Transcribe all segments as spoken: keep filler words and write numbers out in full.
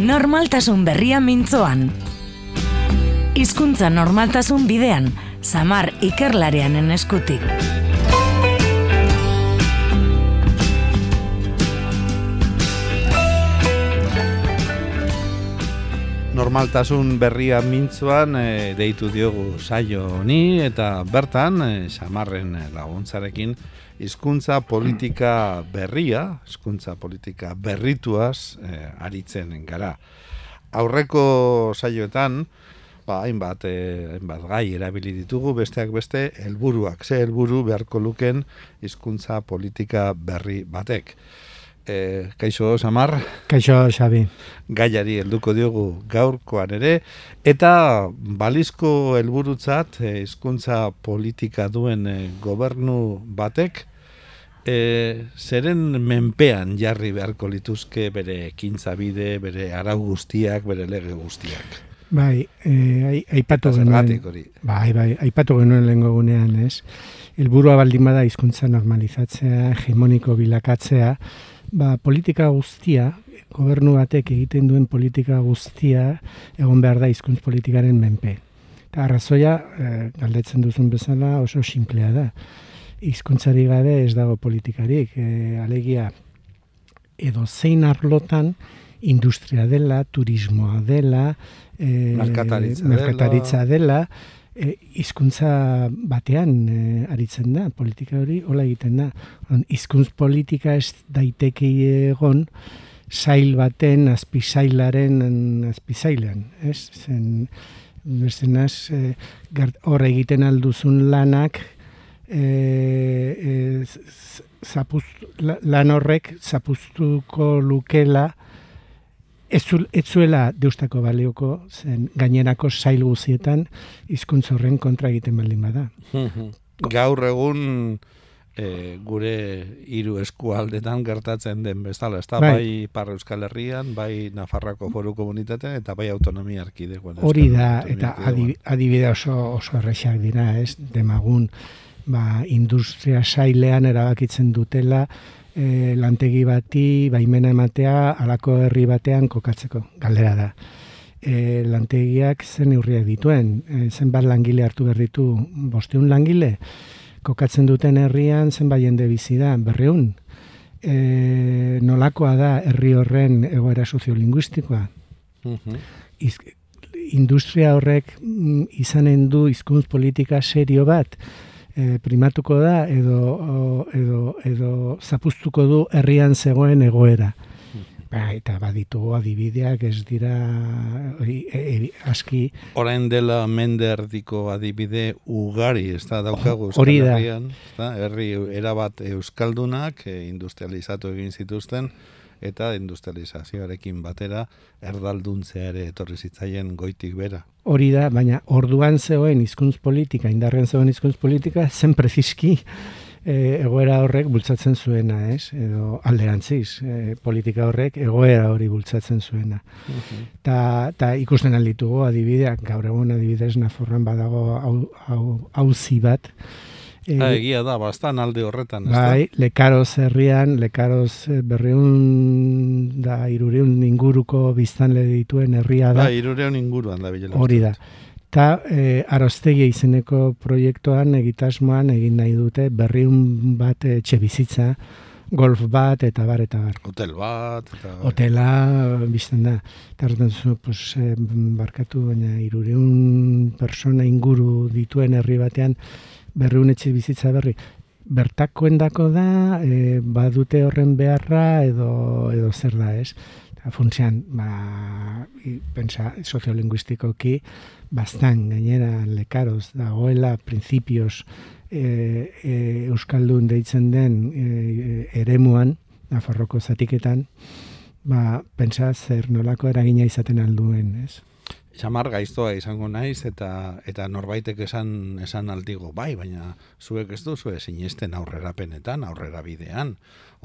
Normaltasun berria mintzoan. Hizkuntza normaltasun bidean, Samar ikerlarianen eskutik. Normaltasun berria mintzoan e, deitu diogu saio honi eta bertan e, Samarren laguntzarekin hizkuntza politika berria, hizkuntza politika berrituaz e, aritzen gara. Aurreko saioetan ba, hainbat, e, hainbat gai erabili ditugu, besteak beste helburuak, ze helburu beharko luken hizkuntza politika berri batek. E, kaixo, Samar? Kaixo, Xabi. Gaiari helduko diogu gaurkoan ere, eta balizko helburutzat hizkuntza politika duen e, gobernu batek e, zeren menpean jarri beharko lituzke bere ekintza bide, bere arau guztiak, bere lege guztiak. Bai, e, aipatu genuen, bai, bai, aipatu genuen lehengo gunean, ez? Helburua baldin bada hizkuntza normalizatzea, hegemoniko bilakatzea, ba, politika guztia, gobernu batek egiten duen politika guztia egon behar da hizkuntz politikaren menpe. Eta arrazoia, e, galdetzen duzun bezala oso sinplea da. Hizkuntzari gabe ez dago politikarik. E, alegia, edo zein arlotan industria dela, turismoa dela, e, merkataritza, merkataritza dela, E, hizkuntza batean e, aritzen da, politika hori hola egiten da. Hizkuntz politika ez daiteke egon sail baten azpisailaren azpisailean, ez? Zen, bestenaz, e, hor egiten alduzun lanak e, e, zapust, lan horrek zapuztuko lukela Ez zuela deustako balioko, zen gainerako sail guzietan hizkuntz horren kontra egiten baldin bada. Gaur egun e, gure hiru eskualdetan gertatzen den bezala, ez da, bai, bai Ipar Euskal Herrian, bai Nafarroako Foru Komunitatean eta bai autonomia erkidegoan. Hori da, eta adibide oso, oso errexak dira, ez, demagun, ba, industria sailean erabakitzen dutela, E, lantegi bati baimena ematea halako herri batean kokatzeko. Galdera da. E, lantegiak zen neurriak dituen, e, zenbat langile hartu behar ditu, bosteun langile, kokatzen duten herrian zenbat jende bizi da, berreun. E, nolakoa da herri horren egoera soziolinguistikoa. Uh-huh. Iz, industria horrek mm, izanen du hizkuntz politika serio bat, E, primatuko da edo, edo, edo zapuztuko du herrian zegoen egoera. Ba, eta baditugu adibideak ez dira ori, e, e, aski. Orain dela mende erdiko adibide ugari, ez da daukagu Euskal Herrian. Herri erabat euskaldunak e, industrializatu egin zituzten, eta industrializazioarekin batera erdalduntzea ere etorri zitzaien goitik bera. Hori da, baina orduan zegoen hizkuntz politika, indarren zegoen hizkuntz politika, zen preziski e, egoera horrek bultzatzen zuena, ez? Edo alderantziz, e, politika horrek egoera hori bultzatzen zuena. Uh-huh. Ta, ta ikusten alditugu adibideak, gaur egun adibidez Nafarroan badago auzi bat, E, ha, egia da, bastan alde horretan. Bai, Lekaroz herrian, Lekaroz berreun da irureun inguruko biztanle dituen herria da. Bai, irureun inguruan da bilela. Hori da. Ta e, Aroztegia izeneko proiektuan egitasmoan egin nahi dute berreun bat etxe bizitza, golf bat eta bar eta bar. Hotel bat. Eta... Hotela bizten da. Eta horretan zu, pues, e, barkatu, baina irureun persona inguru dituen herri batean berreun etxe bizitza berri. Bertakoendako da, e, badute horren beharra edo, edo zer da, ez? Funtzean, ba, pensa, soziolinguistikoki, bastan gainera Lekaroz dagoela, printzipioz e, e, euskaldun deitzen den e, eremuan, Nafarroko zatiketan, ba, pensa zer nolako eragina izaten alduen, ez? Samar gaiztoa izango naiz eta eta norbaitek esan esan aldigo, bai, baina zuek ez duzu sinesten aurrerapenetan, aurrera bidean,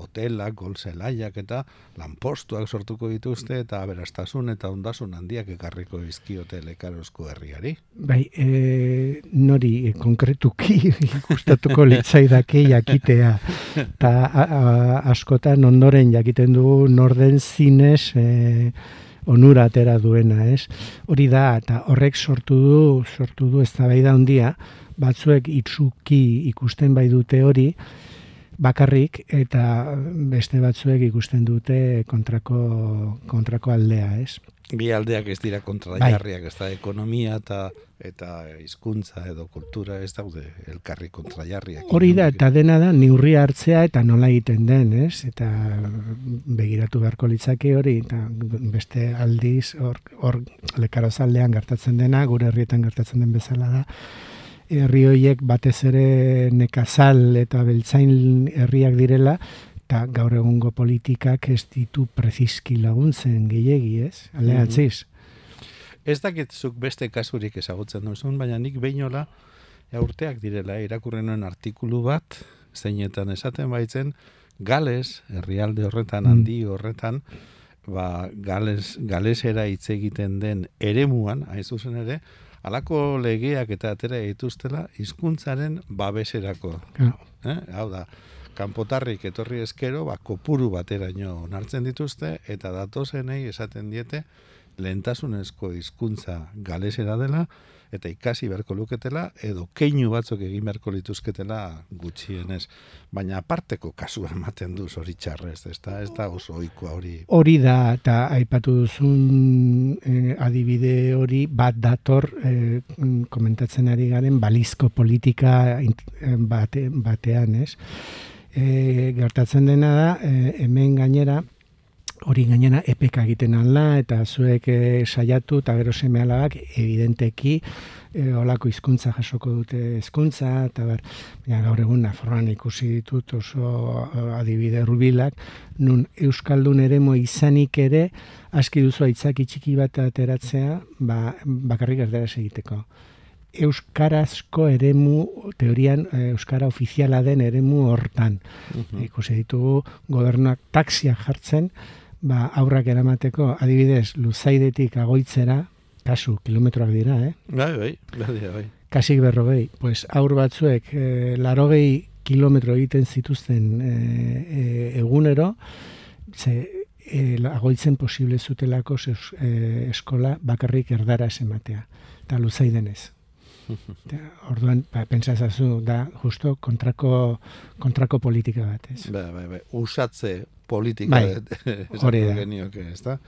hotelak, golzelaiak eta lanpostuak sortuko dituzte eta aberastasun eta ondasun handiak ekarriko dizkiote Lekarozko herriari. Bai, e, nori e, konkretuki gustatuko litzaidake jakitea. Ta a, a, askotan ondoren jakiten dugu norden zinez e, onura atera duena, ez? Hori da, eta horrek sortu du, sortu du eztabaida handia, batzuek itsuki ikusten bai dute hori, bakarrik, eta beste batzuek ikusten dute kontrako, kontrako aldea, ez? Bi aldeak ez dira kontrajarriak, ez da ekonomia eta eta hizkuntza edo kultura ez daude elkarri kontrajarriak. Hori da, eta dena da, neurria hartzea eta nola egiten den, ez? Eta begiratu beharko litzake hori, eta beste aldiz, hor, hor lekarozaldean gertatzen dena, gure herrietan gertatzen den bezala da, herri horiek batez ere nekazal eta beltzain herriak direla, eta gaur egungo politikak ez ditu prezizki laguntzen gehiegi, ez? Aldeantziz. Ez dakitzuk beste kasurik ezagutzen duzun, baina nik behinola urteak direla irakurrenuen artikulu bat, zeinetan esaten baitzen, Gales, herrialde horretan, handi horretan, ba, Gales, Galesera hitz egiten den eremuan, hain zuzen ere, halako legeak eta atera dituztela hizkuntzaren babeserako. Eh? Hau da, kanpotarrik etorri eskero, ba, kopuru bateraino onartzen dituzte, eta datozenei esaten diete, lehentasunezko hizkuntza galesera dela, eta ikasi beharko luketela, edo keinu batzuk egin beharko lituzketela gutxienez. Baina aparteko kasua ematen du zoritxarrez, ez da, ez da oso ohikoa hori. Hori da, eta aipatu duzun eh, adibide hori bat dator eh, komentatzen ari garen balizko politika bate, batean, ez? E, gertatzen dena da, e, hemen gainera, hori gainera epeka egiten alda, eta zuek e, saiatu, eta gero seme alabak, evidenteki, e, olako hizkuntza jasoko dute hizkuntza, eta ber, ja, gaur egun Nafarroan ikusi ditut oso adibide hurbilak, nun Euskaldun eremu izanik ere, aski duzu aitzaki txiki bat ateratzea, ba, bakarrik erdaraz egiteko. Euskarazko eremu, teorian euskara ofiziala den eremu hortan. Uh-huh. Ikusi ditugu gobernuak taxiak jartzen, ba, aurrak eramateko, adibidez, Luzaidetik Agoitzera, kasu, kilometroak dira, eh? Bai, bai, bai, bai. Kasik berrogei, pues aur batzuek eh, larogei kilometro egiten zituzten eh, eh, egunero, ze eh, Agoitzen posible zutelako eh, eskola bakarrik erdaraz ematea, eta Luzaidenez. Orduan, ba, pentsazazu, da justo kontrako, kontrako politika bat, ez? Ba, ba, ba, usatze politika hori da. Genioke, ez da?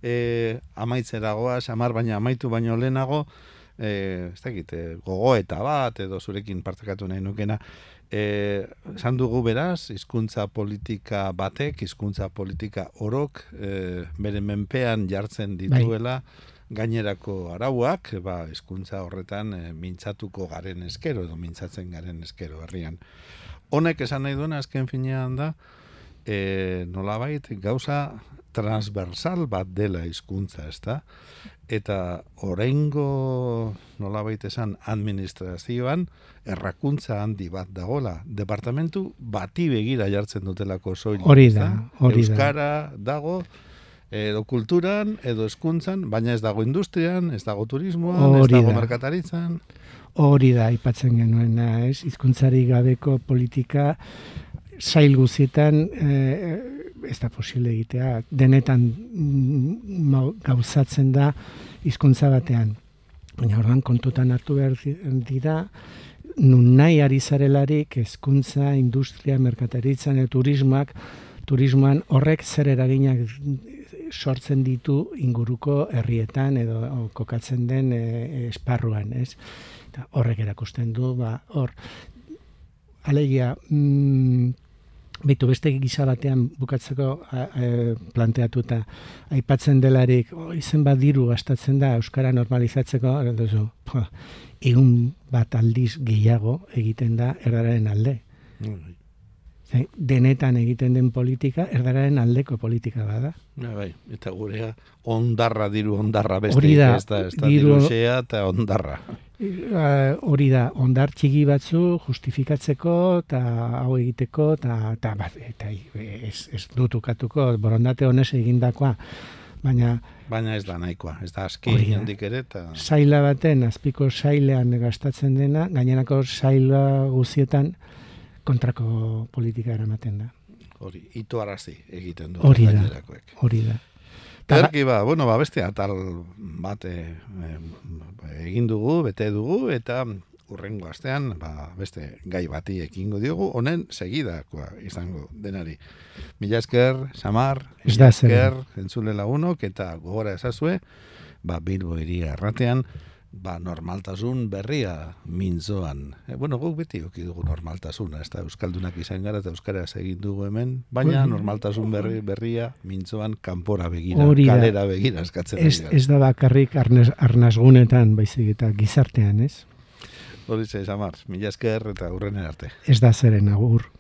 E, amaitzeragoa, samar baina amaitu baino lehenago, e, ez dakit, gogoeta bat, edo zurekin partekatu nahi nukena, e, esan dugu beraz, hizkuntza politika batek, hizkuntza politika orok, e, bere menpean jartzen dituela, bai. Gainerako arauak, ba, hizkuntza horretan e, mintzatuko garen eskero, edo mintzatzen garen eskero herrian. Honek esan nahi duena, azken finean da, e, nolabait, gauza transversal bat dela hizkuntza, ezta? Eta oraingo nolabait esan administrazioan errakuntza handi bat dagola. Departamentu bati begira jartzen dutelako soilik. Hori da, hori da. Euskara dago, edo kulturan, edo hezkuntzan, baina ez dago industrian, ez dago turismoan, ez dago merkataritzan. Hori da, aipatzen genuena, ez? Hizkuntzari gabeko politika sail guzietan eh, ez da posible egitea. Denetan mm, gauzatzen da hizkuntza batean. Baina orduan kontutan hartu behar dira, nun nahi ari zarelarik hezkuntza, industria, merkataritzan, e, turismoak, turismoan horrek zer eraginak sortzen ditu inguruko herrietan edo kokatzen den e, esparruan, ez? Eta horrek erakusten du, ba, hor, alegia, mm, behitu beste gisa batean bukatzeko a, a, planteatuta, aipatzen delarik, oh, izen bat diru gastatzen da euskara normalizatzeko, duzu, po, egun bat aldiz gehiago egiten da erdararen alde. Mm. Denetan egiten den politika, erdararen aldeko politika bada. Ja, bai, eta gurea ondarra diru ondarra beste, ez da, ez da diru xea eta ondarra. Hori uh, da, ondar txiki batzu justifikatzeko eta hau egiteko eta, eta, eta ez, ez dutukatuko borondate honez egindakoa. Baina, Baina ez da nahikoa, ez da aski handik ere. Ta... Saila baten, azpiko sailean gastatzen dena, gainerako saila guzietan kontrako politika eramaten da. Hori, itoarazi egiten du. Hori da, hori da. Ederki ba, bueno, ba, beste atal bat e, egin dugu, bete dugu, eta urrengo astean, ba, beste gai bati ekingo diogu, honen segidakoa izango denari. Mila esker, Samar, mila esker, entzule lagunok, eta gogora ezazue, ba, Bilbo Hiria Erratean, ba, normaltasun berria mintzoan. E, bueno, guk beti oki dugu normaltasuna, ez da, euskaldunak izan gara eta euskaraz egin dugu hemen, baina normaltasun berri, berria mintzoan kanpora begira, kalera begira eskatzen. Ez, ez da bakarrik arnaz, arnazgunetan, baizik eta gizartean, ez? Horize, Samar, mila esker eta hurrenen arte. Ez da zeren agur.